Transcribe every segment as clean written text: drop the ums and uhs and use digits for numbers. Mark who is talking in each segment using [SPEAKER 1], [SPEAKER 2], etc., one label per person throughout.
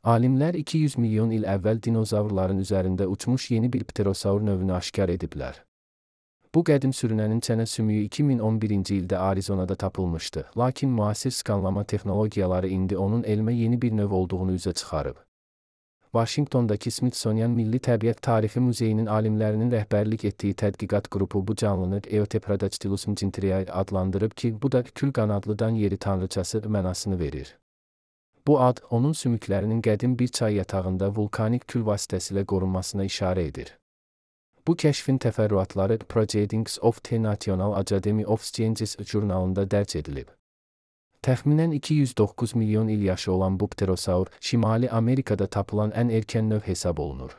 [SPEAKER 1] Alimlər 200 milyon il əvvəl dinozavrların üzərində uçmuş yeni bir pterosaur növünü aşkar ediblər. Bu qədim sürünənin çənə sümüyü 2011-ci ildə Arizonada tapılmışdı, lakin müasir skanlama texnologiyaları indi onun elmə yeni bir növ olduğunu üzə çıxarıb. Vaşinqtondakı Smithsonian Milli Təbiət Tarixi Muzeyinin alimlərinin rəhbərlik etdiyi tədqiqat qrupu bu canlını Eutepradactylus mcintyriae adlandırıb ki, bu da kül qanadlıdan yeri tanrıçası mənasını verir. Bu ad, onun sümüklərinin qədim bir çay yatağında vulkanik kül vasitəsilə qorunmasına işarə edir. Bu kəşfin təfərrüatları Proceedings of the National Academy of Sciences jurnalında dərc edilib. Təxminən 209 milyon il yaşı olan bu pterosaur, Şimali Amerikada tapılan ən erkən növ hesab olunur.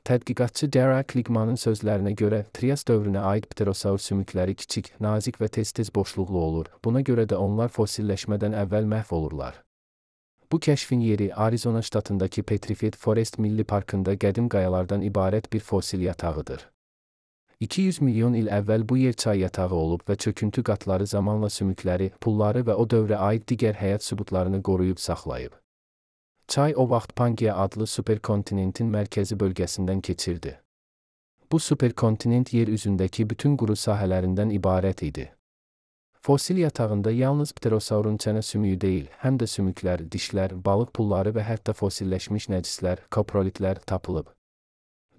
[SPEAKER 1] Tədqiqatçı Dara Kligmanın sözlərinə görə, Trias dövrünə aid pterosaur sümükləri kiçik, nazik və tez-tez boşluqlu olur, buna görə də onlar fosilləşmədən əvvəl məhv olurlar. Bu kəşfin yeri Arizona ştatındakı Petrified Forest Milli Parkında qədim qayalardan ibarət bir fosil yatağıdır. 200 milyon il əvvəl bu yer çay yatağı olub və çöküntü qatları zamanla sümükləri, pulları və o dövrə aid digər həyat sübutlarını qoruyub saxlayıb. Çay o vaxt Pangaea adlı superkontinentin mərkəzi bölgəsindən keçirdi. Bu superkontinent yer üzündəki bütün quru sahələrindən ibarət idi. Fosil yatağında yalnız pterosaurun çənə sümüyü deyil, həm də sümüklər, dişlər, balıq pulları və hətta fosilləşmiş nəcislər, koprolitlər tapılıb.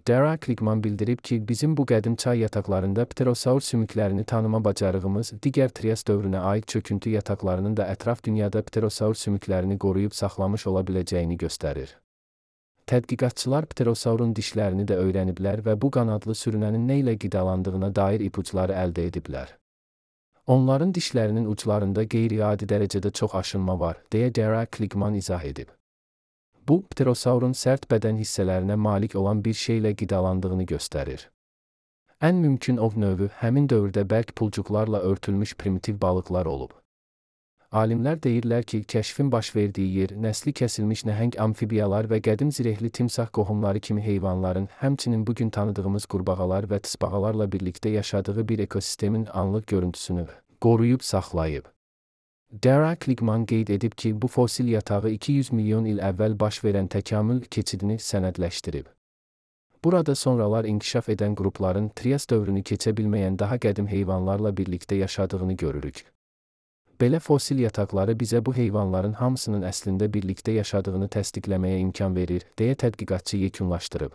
[SPEAKER 1] Dara Kligman bildirib ki, bizim bu qədim çay yataqlarında pterosaur sümüklərini tanıma bacarığımız digər Trias dövrünə aid çöküntü yataqlarının da ətraf dünyada pterosaur sümüklərini qoruyub saxlamış ola biləcəyini göstərir. Tədqiqatçılar pterosaurun dişlərini də öyrəniblər və bu qanadlı sürünənin nə ilə qidalandığına dair ipuçları əldə ediblər. Onların dişlərinin uclarında qeyri-adi dərəcədə çox aşınma var, deyə Dara Kligman izah edib. Bu, pterosaurun sərt bədən hissələrinə malik olan bir şeylə qidalandığını göstərir. Ən mümkün ov növü həmin dövrdə bərk pulcuqlarla örtülmüş primitiv balıqlar olub. Alimlər deyirlər ki, kəşfin baş verdiyi yer nəsli kəsilmiş nəhəng amfibiyalar və qədim zirehli timsah qohumları kimi heyvanların, həmçinin bugün tanıdığımız qurbağalar və tısbağalarla birlikdə yaşadığı bir ekosistemin anlıq görüntüsünü qoruyub saxlayıb. Dara Kligman qeyd edib ki, bu fosil yatağı 200 milyon il əvvəl baş verən təkamül keçidini sənədləşdirib. Burada sonralar inkişaf edən qrupların Trias dövrünü keçə bilməyən daha qədim heyvanlarla birlikdə yaşadığını görürük. Belə fosil yataqları bizə bu heyvanların hamısının əslində birlikdə yaşadığını təsdiqləməyə imkan verir, deyə tədqiqatçı yekunlaşdırıb.